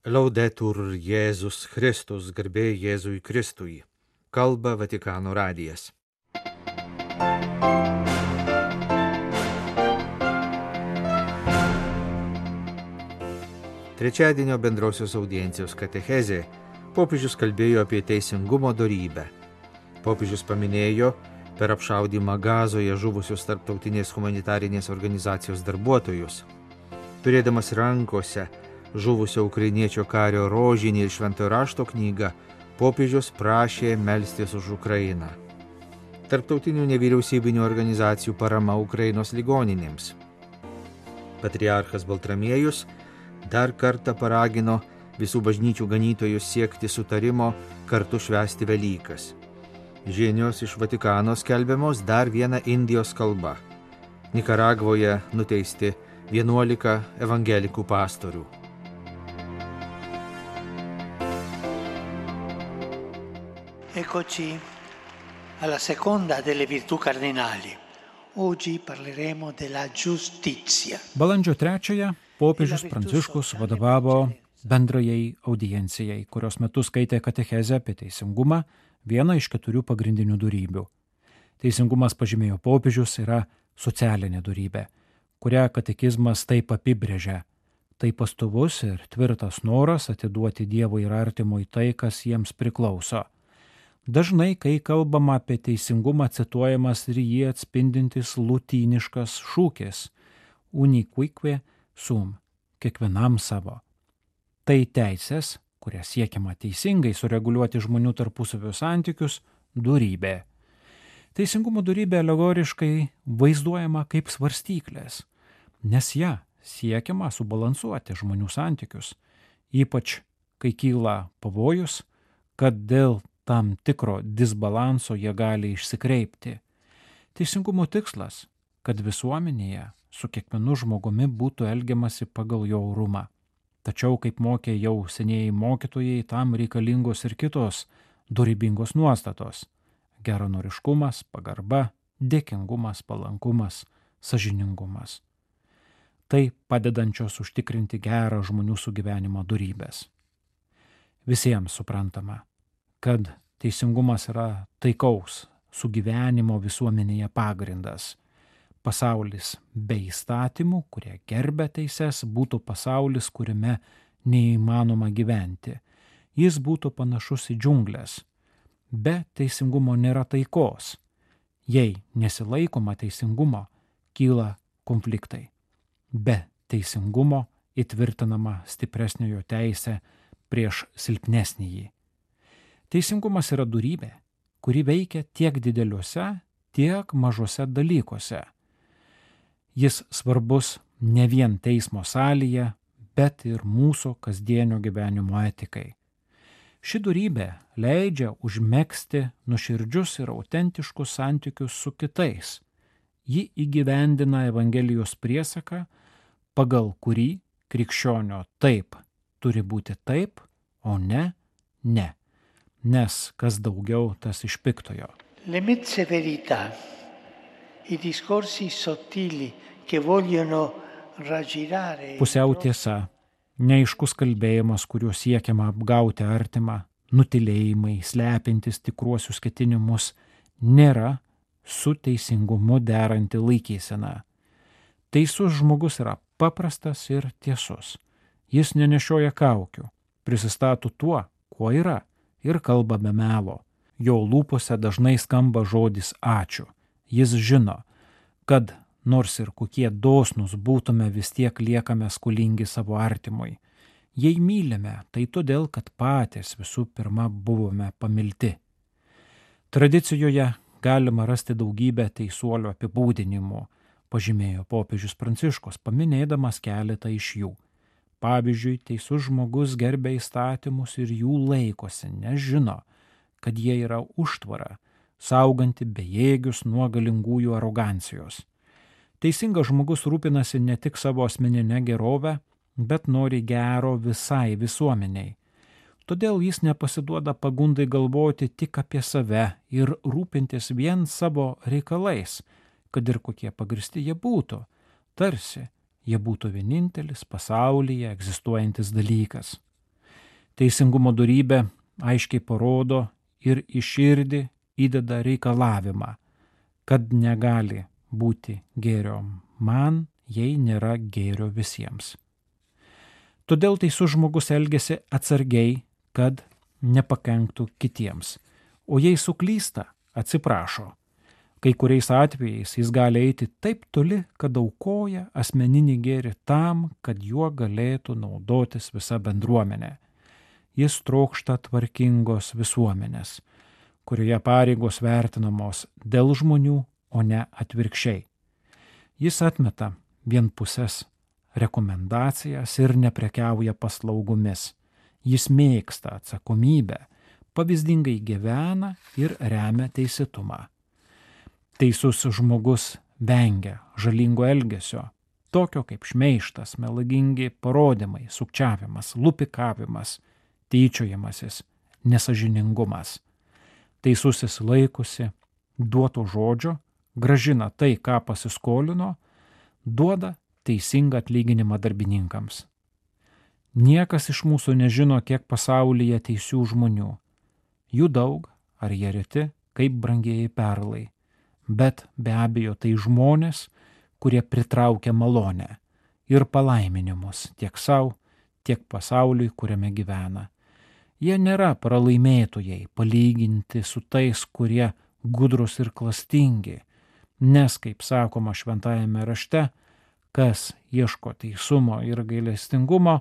Laudetur Jėzus Kristus, garbė Jėzui Kristui. Kalba Vatikano radijas. Trečiadienio bendrosios audiencijos katechezė popiežius kalbėjo apie teisingumo dorybę. Popiežius paminėjo per apšaudymą Gazoje žuvusius tarptautinės humanitarinės organizacijos darbuotojus. Turėdamas rankose žuvusio ukrainiečio kario rožinį ir šventojo rašto knygą, popiežius prašė melstis už Ukrainą. Tarptautinių nevyriausybinių organizacijų parama Ukrainos ligoninėms. Patriarchas Baltramiejus dar kartą paragino visų bažnyčių ganytojus siekti sutarimo kartu švęsti Velykas. Žinios iš Vatikano skelbiamos dar viena Indijos kalba. Nikaragvoje nuteisti 11 evangelikų pastorių. Eccoci alla seconda delle virtù cardinali. Oggi parleremo della giustizia. Balandžio 3 popiežius Pranciškus vadovavo bendrajai audiencijai, kurios metu skaitė katechezę apie teisingumą, vieną iš 4 pagrindinių dorybių. Teisingumas, pažymėjo popiežius, yra socialinė dorybė, kurią katekizmas taip apibrėžia. Tai pastovus ir tvirtas noras atiduoti Dievui ir artimui tai, kas jiems priklauso. Dažnai, kai kalbama apie teisingumą, cituojamas ir jį atspindintis lotyniškas šūkis unicuique sum, kiekvienam savo. Tai teisės, kuria siekiama teisingai sureguliuoti žmonių tarpusavio santykius, dorybė. Teisingumo dorybė alegoriškai vaizduojama kaip svarstyklės, nes ją siekiama subalansuoti žmonių santykius, ypač kai kyla pavojus, kad dėl tam tikro disbalanso jie gali išsikreipti. Teisingumo tikslas, kad visuomenėje su kiekvienu žmogumi būtų elgiamasi pagal jo orumą. Tačiau, kaip mokė jau senieji mokytojai, tam reikalingos ir kitos dorybingos nuostatos – geranoriškumas, pagarba, dėkingumas, palankumas, sąžiningumas. Tai padedančios užtikrinti gerą žmonių sugyvenimo dorybės. Visiems suprantama, kad teisingumas yra taikaus sugyvenimo visuomenėje pagrindas. Pasaulis be įstatymų, kurie gerbia teises, būtų pasaulis, kuriame neįmanoma gyventi. Jis būtų panašus į džiunglės. Be teisingumo nėra taikos. Jei nesilaikoma teisingumo, kyla konfliktai. Be teisingumo įtvirtinama stipresniojo teisė prieš silpnesnįjį. Teisingumas yra dorybė, kuri veikia tiek dideliuose, tiek mažuose dalykuose. Jis svarbus ne vien teismo salėje, bet ir mūsų kasdienio gyvenimo etikai. Ši dorybė leidžia užmegzti nuoširdžius ir autentiškus santykius su kitais. Ji įgyvendina Evangelijos priesaką, pagal kurį krikščionio taip turi būti taip, o ne, ne. Nes kas daugiau, tas iš piktojo. Le mezze verità, i discorsi sottili che vogliono raggirare. Pusiau tiesa, neaiškus kalbėjimas, kuriuo siekiama apgauti artimą, nutilėjimai, slepintis tikruosius ketinimus, nėra su teisingumu deranti laikysena. Teisus žmogus yra paprastas ir tiesus. Jis nenešioja kaukių, prisistato tuo, kuo yra, ir kalba be melo. Jo lūpose dažnai skamba žodis ačiū. Jis žino, kad nors ir kokie dosnūs būtume, vis tiek liekame skolingi savo artimui. Jei mylime, tai todėl, kad patys visų pirma buvome pamilti. Tradicijoje galima rasti daugybę teisuolio apibūdinimų, pažymėjo popiežius Pranciškus, paminėdamas keletą iš jų. Pavyzdžiui, teisus žmogus gerbia įstatymus ir jų laikosi, nes žino, kad jie yra užtvara, sauganti bejėgius nuo galingųjų arogancijos. Teisingas žmogus rūpinasi ne tik savo asmeninę gerovę, bet nori gero visai visuomeniai. Todėl jis nepasiduoda pagundai galvoti tik apie save ir rūpintis vien savo reikalais, kad ir kokie pagristi jie būtų, tarsi jie būtų vienintelis pasaulyje egzistuojantis dalykas. Teisingumo dorybė aiškiai parodo ir į širdį įdeda reikalavimą, kad negali būti gėrio man, jei nėra gėrio visiems. Todėl teisus žmogus elgiasi atsargiai, kad nepakenktų kitiems, o jei suklysta, atsiprašo. Kai kuriais atvejais jis gali eiti taip toli, kad aukoja asmeninį gėrį tam, kad juo galėtų naudotis visa bendruomenė. Jis trokšta tvarkingos visuomenės, kurioje pareigos vertinamos dėl žmonių, o ne atvirkščiai. Jis atmeta vienpusės rekomendacijas ir neprekiauja paslaugomis. Jis mėgsta atsakomybę, pavyzdingai gyvena ir remia teisėtumą. Teisus žmogus vengia žalingo elgesio, tokio kaip šmeižtas, melagingi parodymai, sukčiavimas, lupikavimas, tyčiojimasis, nesažiningumas. Teisusis laikosi duoto žodžio, gražina tai, ką pasiskolino, duoda teisingą atlyginimą darbininkams. Niekas iš mūsų nežino, kiek pasaulyje teisių žmonių. Jų daug, ar jie reti, kaip brangieji perlai. Bet be abejo tai žmonės, kurie pritraukia malonę ir palaiminimus tiek savo, tiek pasauliui, kuriame gyvena. Jie nėra pralaimėtojai palyginti su tais, kurie gudrus ir klastingi, nes, kaip sakoma šventajame rašte, kas ieško teisumo ir gailestingumo,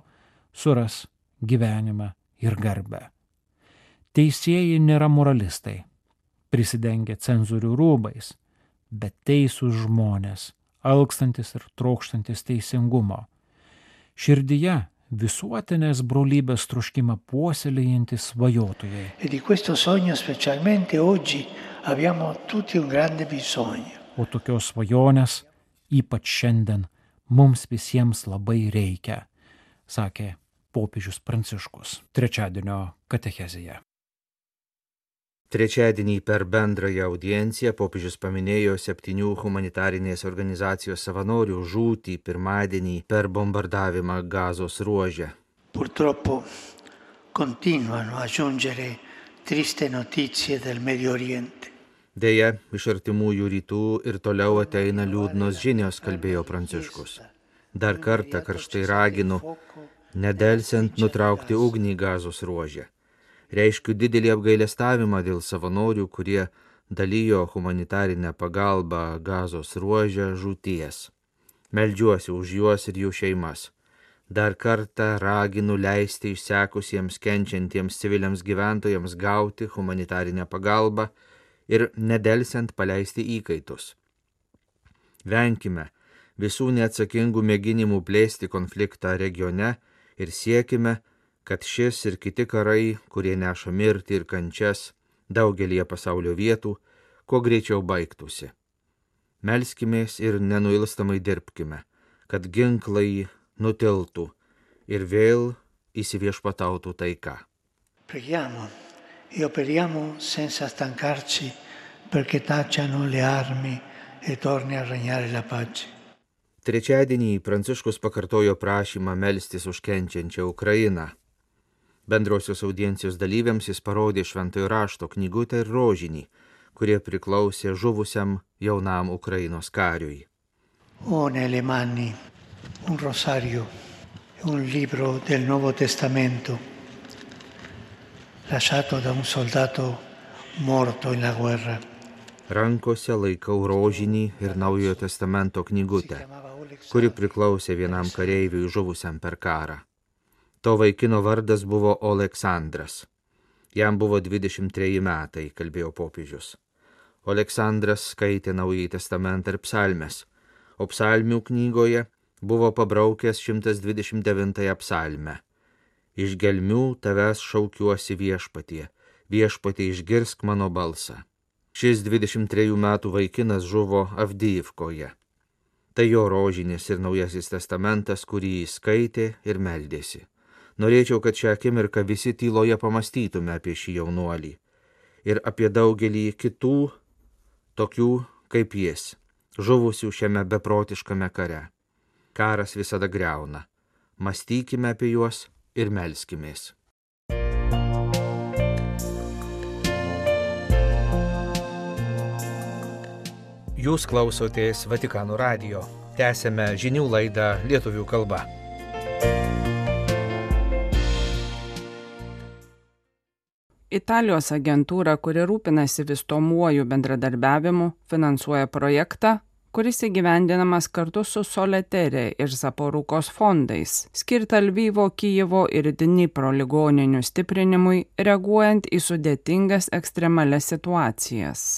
suras gyvenimą ir garbę. Teisėjai nėra moralistai, prisidengia cenzorių rūbais, bet teisūs žmonės, alkstantis ir trokštantis teisingumo. Širdyje visuotinės brolybės troškimą puoselėjantis svajotojai. E di questo sogno specialmente oggi abbiamo tutti un grande bisogno. O tokios svajonės ypač šiandien mums visiems labai reikia, sakė popiežius Pranciškus trečiadienio katechezėje. Trečiadienį per bendrąją audienciją popiežius paminėjo 7 humanitarinės organizacijos savanorių žūtį pirmadienį per bombardavimą Gazos ruože. Purtroppo continuano a giungere triste notizie del Medio Oriente. Deja, iš artimųjų rytų ir toliau ateina liūdnos žinios, kalbėjo Pranciškus. Dar kartą karštai raginu, nedelsiant nutraukti ugnį Gazos ruože. Reiškiu didelį apgailestavimą dėl savanorių, kurie dalijo humanitarinę pagalbą Gazos ruože žūties. Meldžiuosi už juos ir jų šeimas. Dar kartą raginu leisti išsekusiems kenčiantiems civiliams gyventojams gauti humanitarinę pagalbą ir nedelsiant paleisti įkaitus. Venkime visų neatsakingų mėginimų plėsti konfliktą regione ir siekime, kad šis ir kiti karai, kurie neša mirtį ir kančias daugelįje pasaulio vietų, kuo greičiau baigtųsi. Melskimės ir nenuilstamai dirbkime, kad ginklai nutiltų ir vėl įsiviešpatautų taika. Preghiamo e operiamo senza stancarci perché tacciano le armi e torni a regnare la pace. Trečiadienį Pranciškus pakartojo prašymą melstis už kenčiančią Ukrainą. Bendrosios audiencijos dalyviams jis parodė šventojo rašto knygutę ir rožinį, kurie priklausė žuvusiam jaunam Ukrainos kariui. Ho nelle mani un rosario e un libro del Nuovo Testamento lasciato da un soldato morto in la guerra. Rankose laikau rožinį ir Naujojo testamento knygutę, kuri priklausė vienam kareiviui žuvusiam per karą. To vaikino vardas buvo Oleksandras. Jam buvo 23 metai, kalbėjo popiežius. Oleksandras skaitė Naująjį testamentą ir psalmes, o psalmių knygoje buvo pabraukęs 129 psalmę. Iš gelmių tavęs šaukiuosi viešpatie, viešpatie išgirsk mano balsą. Šis 23 metų vaikinas žuvo Avdijivkoje. Tai jo rožinis ir Naujasis testamentas, kurį jis skaitė ir meldėsi. Norėčiau, kad šią akimirką visi tyloje pamastytume apie šį jaunuolį ir apie daugelį kitų, tokių kaip jis, žuvusių šiame beprotiškame kare. Karas visada griauna. Mąstykime apie juos ir melskimės. Jūs klausotės Vatikano radijo. Tęsėme žinių laidą lietuvių kalba. Italijos agentūra, kuri rūpinasi vystomuoju bendradarbiavimu, finansuoja projektą, kuris įgyvendinamas kartu su Soletere ir Zaporukos fondais, skirta Lvivo, Kijevo ir Dnipro ligoninių stiprinimui, reaguojant į sudėtingas ekstremalias situacijas.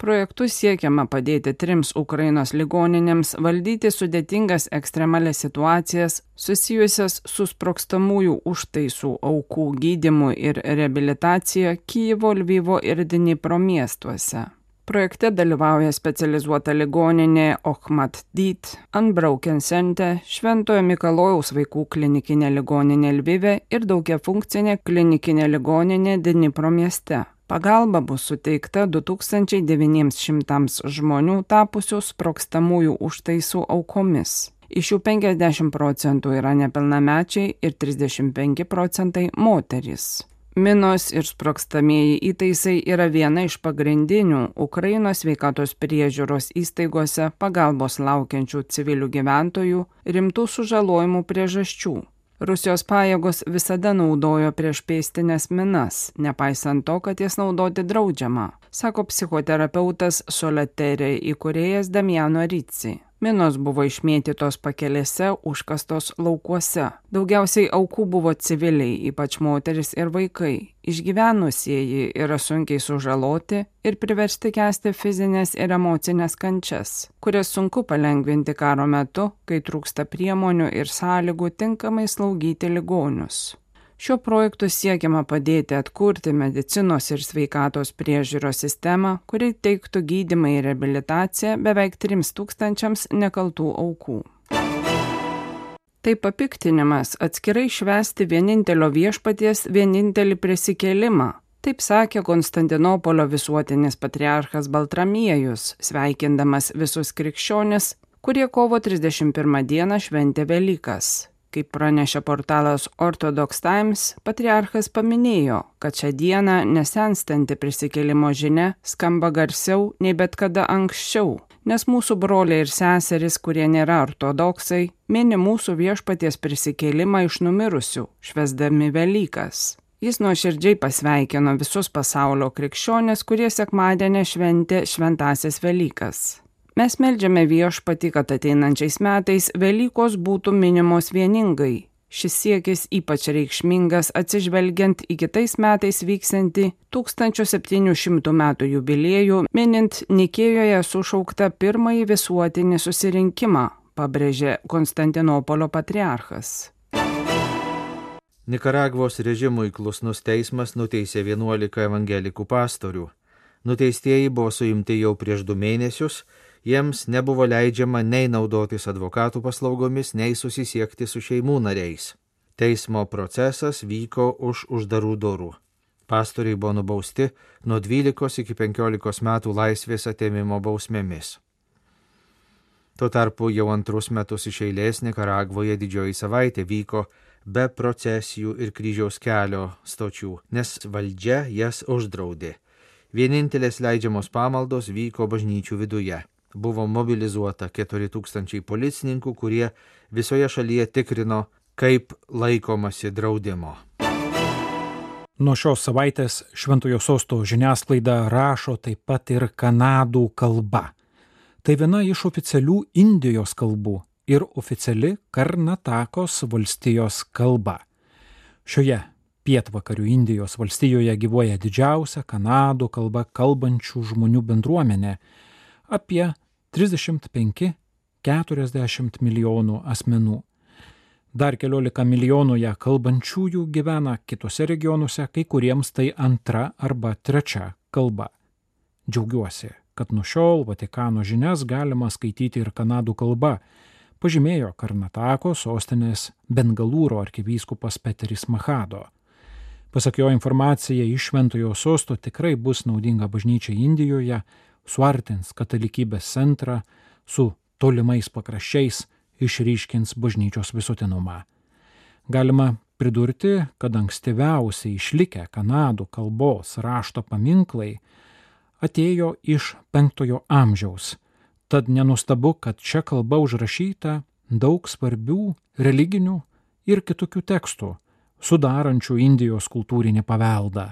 Projektu siekiama padėti 3 Ukrainos ligoninėms valdyti sudėtingas ekstremalias situacijas susijusias su sprogstamųjų užtaisų aukų gydymu ir reabilitacija Kijevo, Lvivo ir Dnipro miestuose. Projekte dalyvauja specializuota ligoninė Ochmatdyt, Unbroken Center, Šventojo Mikalojaus vaikų klinikinė ligoninė Lvive ir daugiafunkcinė klinikinė ligoninė Dnipro mieste. Pagalba bus suteikta 2900 žmonių tapusių sprogstamųjų užtaisų aukomis. Iš jų 50% yra nepilnamečiai ir 35% moterys. Minos ir sprogstamieji įtaisai yra viena iš pagrindinių Ukrainos sveikatos priežiūros įstaigose pagalbos laukiančių civilių gyventojų rimtų sužalojimų priežasčių. Rusijos pajėgos visada naudojo priešpėstinės minas, nepaisant to, kad jas naudoti draudžiama, sako psichoterapeutas Soletere įkūrėjas Damiano Rizzi. Minos buvo išmėtytos pakelėse, užkastos laukuose. Daugiausiai aukų buvo civiliai, ypač moteris ir vaikai. Išgyvenusieji yra sunkiai sužaloti ir priversti kęsti fizinės ir emocinės kančias, kurias sunku palengvinti karo metu, kai trūksta priemonių ir sąlygų tinkamai slaugyti ligonius. Šiuo projektu siekiama padėti atkurti medicinos ir sveikatos priežiūros sistemą, kuri teiktų gydymą ir reabilitaciją beveik 3000 nekaltų aukų. Tai papiktinimas atskirai švęsti vienintelio viešpaties vienintelį prisikėlimą. Taip sakė Konstantinopolio visuotinis patriarchas Baltramiejus, sveikindamas visus krikščionis, kurie kovo 31 dieną šventė Velykas. Kaip pranešė portalas Orthodox Times, patriarchas paminėjo, kad šią dieną nesenstanti prisikėlimo žinia skamba garsiau nei bet kada anksčiau, nes mūsų broliai ir seserys, kurie nėra ortodoksai, mini mūsų viešpaties prisikėlimą iš numirusių, švęsdami Velykas. Jis nuoširdžiai pasveikino visus pasaulio krikščionis, kurie sekmadienį šventė šventąsias Velykas. Mes meldžiame viešpatį, kad ateinančiais metais Velykos būtų minimos vieningai. Šis siekis ypač reikšmingas atsižvelgiant į kitais metais vyksiantį 1700 metų jubiliejų, minint Nikėjoje sušauktą pirmąjį visuotinį susirinkimą, pabrėžė Konstantinopolio patriarchas. Nikaragvos režimui klusnus teismas nuteisė 11 evangelikų pastorių. Nuteistieji buvo suimti jau prieš 2 mėnesius, jiems nebuvo leidžiama nei naudotis advokatų paslaugomis, nei susisiekti su šeimų nariais. Teismo procesas vyko už uždarų durų. Pastoriai buvo nubausti nuo 12 iki 15 metų laisvės atėmimo bausmėmis. Tuo tarpu jau 2 metus iš eilės Nikaragvoje didžioji savaitė vyko be procesijų ir kryžiaus kelio stočių, nes valdžia jas uždraudė. Vienintelės leidžiamos pamaldos vyko bažnyčių viduje. Buvo mobilizuota 4000 policininkų, kurie visoje šalyje tikrino, kaip laikomasi draudimo. Nuo šios savaitės Šventojo Sosto žiniasklaida rašo taip pat ir kanadų kalba. Tai viena iš oficialių Indijos kalbų ir oficiali Karnatakos valstijos kalba. Šioje pietvakarių Indijos valstijoje gyvuoja didžiausia kanadų kalba kalbančių žmonių bendruomenė – apie 35–40 milijonų asmenų. Dar 14 milijonų ją kalbančiųjų gyvena kitose regionuose, kai kuriems tai 2 arba 3 kalba. Džiaugiuosi, kad nuo šiol Vatikano žinias galima skaityti ir kanadų kalba, pažymėjo Karnatako sostinės Bengalūro arkivyskupas Peteris Mahado. Pasak jo, informacija iš Šventojo Sosto tikrai bus naudinga bažnyčiai Indijoje, suartins katalikybės centrą su tolimais pakraščiais, išryškins bažnyčios visuotinumą. Galima pridurti, kad ankstyviausiai išlikę kanadų kalbos rašto paminklai atėjo iš 5 amžiaus, Tad nenustabu, kad čia kalba užrašyta daug svarbių religinių ir kitokių tekstų, sudarančių Indijos kultūrinį paveldą.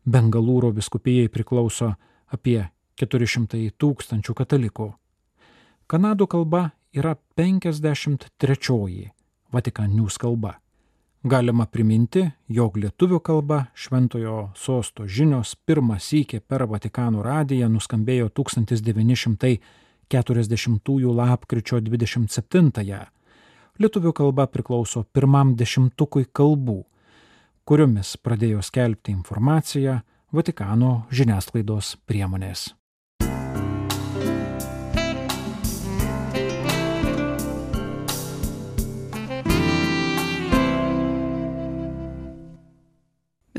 Bengalūro vyskupijai priklauso apie 400 000 katalikų. Kanadų kalba yra 53 Vatican News kalba. Galima priminti, jog lietuvių kalba Šventojo Sosto žinios pirmą sykį per Vatikano radiją nuskambėjo 1940 lapkričio 27. Lietuvių kalba priklauso pirmam 10 kalbų, kuriomis pradėjo skelbti informaciją Vatikano žiniasklaidos priemonės.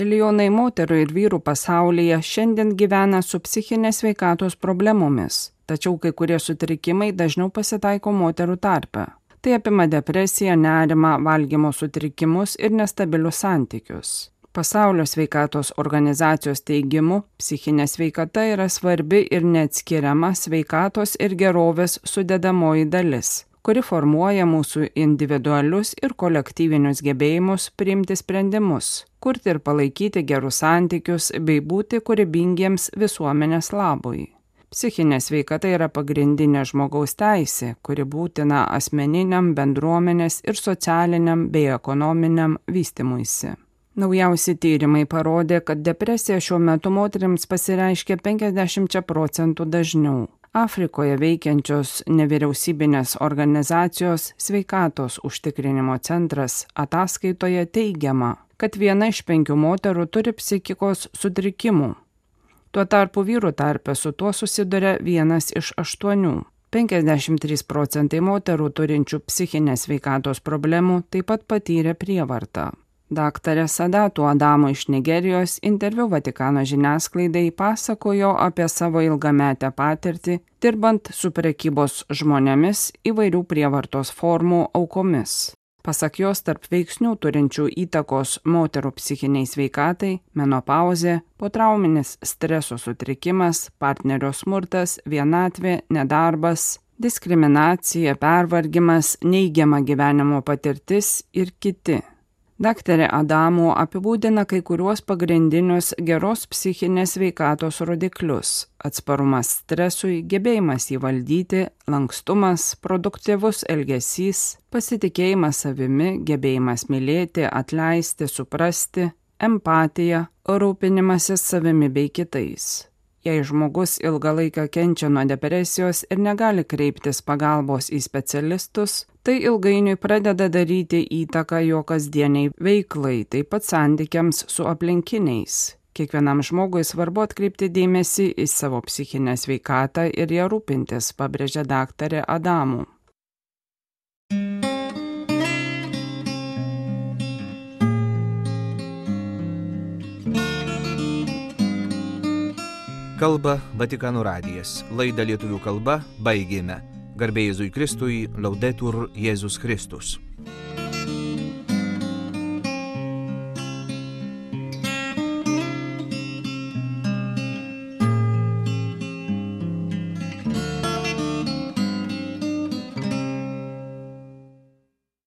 Milijonai moterų ir vyrų pasaulyje šiandien gyvena su psichinės sveikatos problemomis, tačiau kai kurie sutrikimai dažniau pasitaiko moterų tarpe. Tai apima depresiją, nerimą, valgymo sutrikimus ir nestabilius santykius. Pasaulio sveikatos organizacijos teigimu, psichinė sveikata yra svarbi ir neatskiriama sveikatos ir gerovės sudedamoji dalis, kuri formuoja mūsų individualius ir kolektyvinius gebėjimus priimti sprendimus, kurti ir palaikyti gerus santykius bei būti kūrybingiems visuomenės labui. Psichinė sveikata yra pagrindinė žmogaus teisė, kuri būtina asmeniniam, bendruomenės ir socialiniam bei ekonominiam vystymuisi. Naujausi tyrimai parodė, kad depresija šiuo metu moterims pasireiškia 50% dažniau. Afrikoje veikiančios nevyriausybinės organizacijos Sveikatos užtikrinimo centras ataskaitoje teigiama, kad 1 iš 5 moterų turi psichikos sutrikimų. Tuo tarpu vyrų tarpe su tuo susiduria 1 iš 8. 53% moterų turinčių psichinės sveikatos problemų taip pat patyrė prievartą. Daktarė Sadatu Adamo iš Nigerijos interviu Vatikano žiniasklaidai pasakojo apie savo ilgametę patirtį, dirbant su prekybos žmonėmis įvairių prievartos formų aukomis. Pasak jos, tarp veiksnių turinčių įtakos moterų psichiniai sveikatai - menopauzė, potrauminis streso sutrikimas, partnerio smurtas, vienatvė, nedarbas, diskriminacija, pervargimas, neigiama gyvenimo patirtis ir kiti. Daktarė Adamo apibūdina kai kuriuos pagrindinius geros psichinės sveikatos rodiklius - atsparumas stresui, gebėjimas jį valdyti, lankstumas, produktyvus elgesys, pasitikėjimas savimi, gebėjimas mylėti, atleisti, suprasti, empatija, rūpinimasis savimi bei kitais. Jei žmogus ilgą laiką kenčia nuo depresijos ir negali kreiptis pagalbos į specialistus, tai ilgainiui pradeda daryti įtaką jo kasdieniai veiklai, taip pat santykiams su aplinkiniais. Kiekvienam žmogui svarbu atkreipti dėmesį į savo psichinę sveikatą ir ją rūpintis, pabrėžia daktarė Adamo. Kalba Vatikano radijas. Laidą lietuvių kalba baigėme. Garbė Jėzui Kristui, Laudetur Jėzus Kristus.